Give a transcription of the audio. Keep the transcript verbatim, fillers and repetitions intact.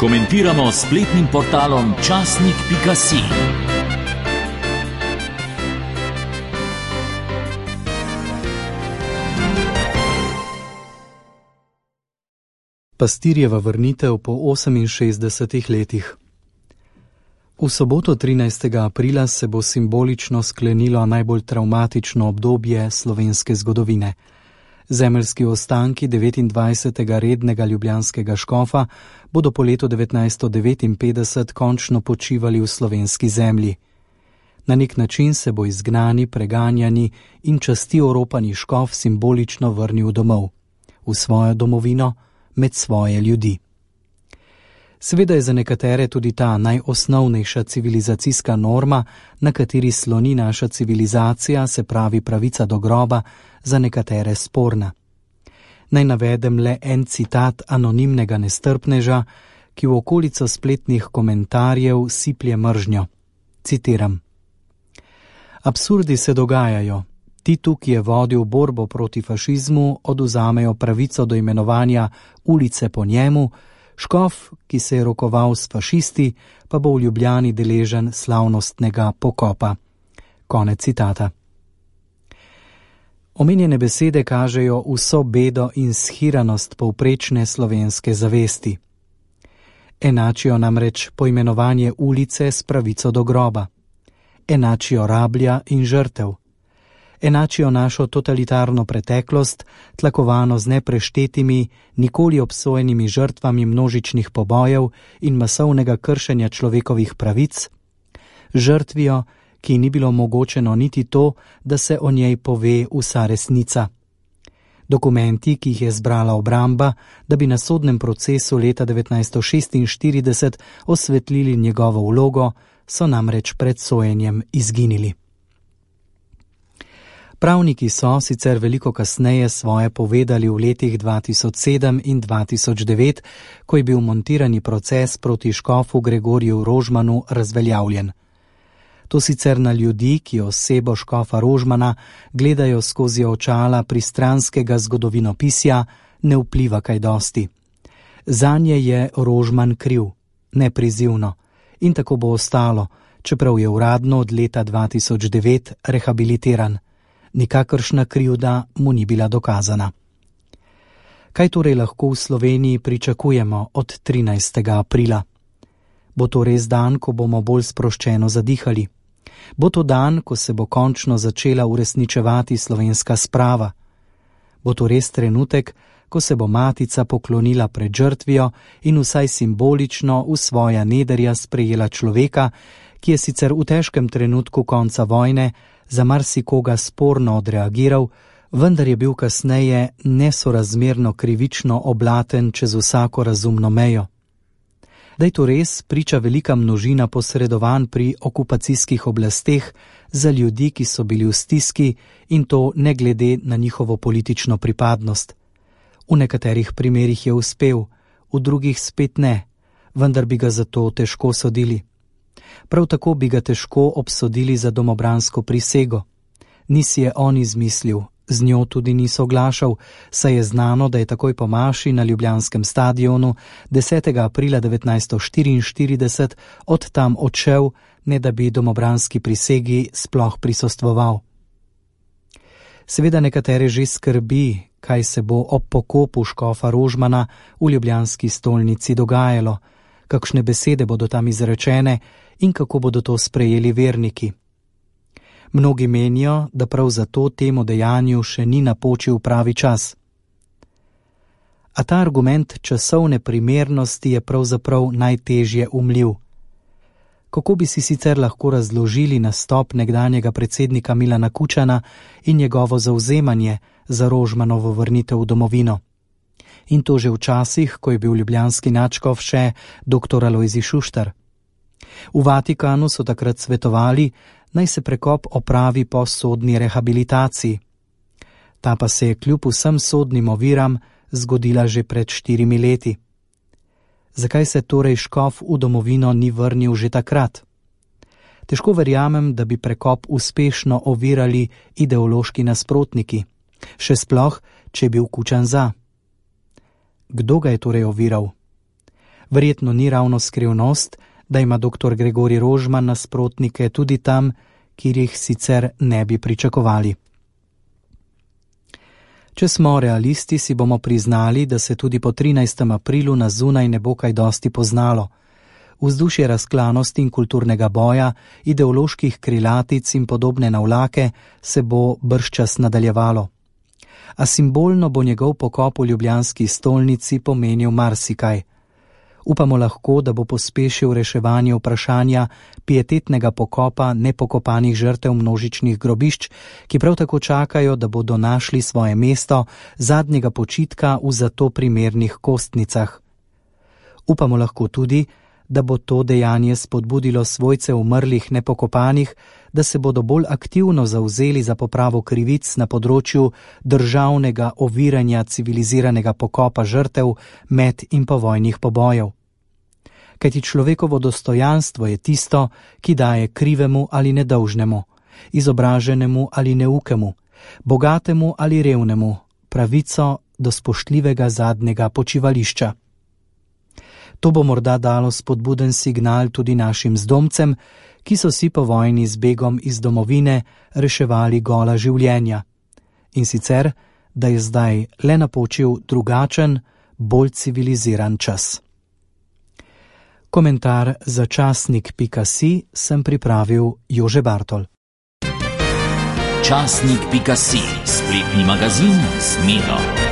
Komentiramo s spletnim portalom časnik pika si. Pastirjeva vrnitev po oseminšestdesetih letih. V soboto trinajstega aprila se bo simbolično sklenilo najbolj travmatično obdobje slovenske zgodovine. Zemeljski ostanki devetindvajsetega rednega ljubljanskega škofa bodo po letu devetnajststo devetinpetdeset končno počivali v slovenski zemlji. Na nek način se bo izgnani, preganjani in časti oropani škof simbolično vrnil domov, v svojo domovino, med svoje ljudi. Seveda je za nekatere tudi ta najosnovnejša civilizacijska norma, na kateri sloni naša civilizacija, se pravi pravica do groba, za nekatere sporna. Naj navedem le en citat anonimnega nestrpneža, ki v okolico spletnih komentarjev siplje mržnjo. Citiram: Absurdi se dogajajo. Titu, ki je vodil borbo proti fašizmu, oduzamejo pravico do imenovanja ulice po njemu, škof, ki se je rokoval s fašisti, pa bo v Ljubljani deležen slavnostnega pokopa. Konec citata. Omenjene besede kažejo vso bedo in shiranost povprečne slovenske zavesti. Enačijo namreč poimenovanje ulice s pravico do groba. Enačijo rablja in žrtev. Enačijo našo totalitarno preteklost, tlakovano z nepreštetimi, nikoli obsojenimi žrtvami množičnih pobojev in masovnega kršenja človekovih pravic, žrtvijo, ki ni bilo omogočeno niti to, da se o njej pove vsa resnica. Dokumenti, ki jih je zbrala obramba, da bi na sodnem procesu leta devetnajststo šestinštirideset osvetlili njegovo vlogo, so namreč pred sojenjem izginili. Pravniki so sicer veliko kasneje svoje povedali v letih dva tisoč sedem in dva tisoč devet, ko je bil montirani proces proti škofu Gregorju Rožmanu razveljavljen. To sicer na ljudi, ki osebo škofa Rožmana gledajo skozi očala pristranskega zgodovinopisja, ne vpliva kaj dosti. Zanje je Rožman kriv, neprizivno, in tako bo ostalo, čeprav je uradno od leta dva tisoč devet rehabilitiran. Nikakršna krivda mu ni bila dokazana. Kaj torej lahko v Sloveniji pričakujemo od trinajstega aprila? Bo to res dan, ko bomo bolj sproščeno zadihali? Bo to dan, ko se bo končno začela uresničevati slovenska sprava? Bo to res trenutek, ko se bo matica poklonila pred žrtvijo in vsaj simbolično v svoja nederja sprejela človeka, ki je sicer v težkem trenutku konca vojne za marsikoga sporno odreagiral, vendar je bil kasneje nesorazmerno krivično oblaten čez vsako razumno mejo. Da je to res, priča velika množina posredovanj pri okupacijskih oblasteh za ljudi, ki so bili v stiski, in to ne glede na njihovo politično pripadnost. V nekaterih primerih je uspel, v drugih spet ne, vendar bi ga zato težko sodili. Prav tako bi ga težko obsodili za domobransko prisego. Ni si je on izmislil, z njo tudi ni soglašal, saj je znano, da je takoj po maši na ljubljanskem stadionu desetega aprila devetnajststo štiriinštirideset od tam odšel, ne da bi domobranski prisegi sploh prisostvoval. Seveda nekatere že skrbi, kaj se bo ob pokopu škofa Rožmana v ljubljanski stolnici dogajalo, kakšne besede bodo tam izrečene in kako bodo to sprejeli verniki. Mnogi menijo, da prav zato temu dejanju še ni napočil pravi čas. A ta argument časovne primernosti je pravzaprav najtežje umljiv. Kako bi si sicer lahko razložili nastop nekdanjega predsednika Milana Kučana in njegovo zavzemanje za Rožmanovo vrnitev v domovino? In to že v časih, ko je bil ljubljanski nadškof še doktor Alojzij Šuštar. V Vatikanu so takrat svetovali, naj se prekop opravi po sodni rehabilitaciji. Ta pa se je kljub vsem sodnim oviram zgodila že pred štirimi leti. Zakaj se torej škof v domovino ni vrnil že takrat? Težko verjamem, da bi prekop uspešno ovirali ideološki nasprotniki, še sploh, če je bil Kučan za. Kdo ga je torej oviral? Verjetno ni ravno skrivnost, da ima doktor Gregorij Rožman nasprotnike tudi tam, kjer jih sicer ne bi pričakovali. Če smo realisti, si bomo priznali, da se tudi po trinajstem aprilu na zunaj ne bo kaj dosti poznalo. Vzdušje razklanosti in kulturnega boja, ideoloških krilatic in podobne navlake se bo bržčas nadaljevalo. A simbolno bo njegov pokop v ljubljanski stolnici pomenil marsikaj. Upamo lahko, da bo pospešil reševanje vprašanja pietetnega pokopa nepokopanih žrtev množičnih grobišč, ki prav tako čakajo, da bodo našli svoje mesto zadnjega počitka v zato primernih kostnicah. Upamo lahko tudi, da bo to dejanje spodbudilo svojce umrlih nepokopanih, da se bodo bolj aktivno zavzeli za popravo krivic na področju državnega oviranja civiliziranega pokopa žrtev med in povojnih pobojev. Kajti človekovo dostojanstvo je tisto, ki daje krivemu ali nedolžnemu, izobraženemu ali neukemu, bogatemu ali revnemu, pravico do spoštljivega zadnjega počivališča. To bo morda dalo spodbuden signal tudi našim zdomcem, ki so si po vojni z begom iz domovine reševali gola življenja. In sicer, da je zdaj le napočil drugačen, bolj civiliziran čas. Komentar za časnik pika si sem pripravil Jože Bartol. Časnik pika si, spletni magazin Smelo.